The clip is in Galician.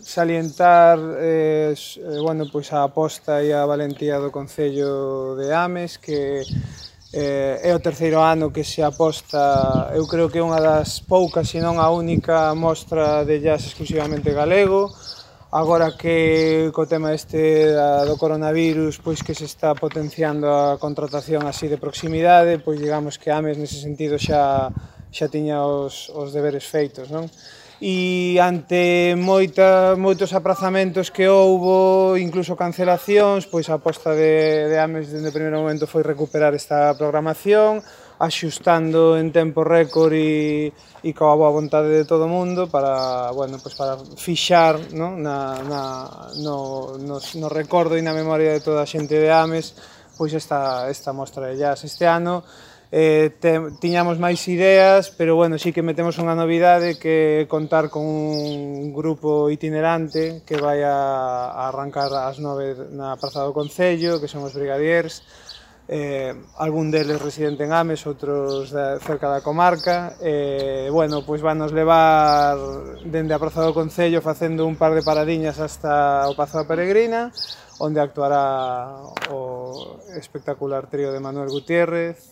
salientar bueno, pois a aposta e a valentía do Concello de Ames, que é o terceiro ano que se aposta, eu creo que é unha das poucas, se non a única mostra de jazz exclusivamente galego. Agora que co tema este do coronavirus, pois que se está potenciando a contratación así de proximidade, pois digamos que Ames nese sentido xa tiña os deberes feitos, non? E ante moitos aprazamentos que houbo, incluso cancelacións, pois a aposta de Ames dende o primeiro momento foi recuperar esta programación, axustando en tempo récord e coa boa vontade de todo o mundo para, bueno, pois para fixar, non? No recordo e na memoria de toda a xente de Ames pois esta mostra de jazz. Este ano tiñamos máis ideas, pero bueno, sí que metemos unha novidade, que é contar con un grupo itinerante que vai a arrancar ás 9 na Praza do Concello, que son os Brigadiers, algún deles residente en Ames, outros cerca da comarca. Bueno, pois vanos levar dende a Praza do Concello facendo un par de paradiñas hasta o Pazo da Peregrina, onde actuará o espectacular trío de Manuel Gutiérrez,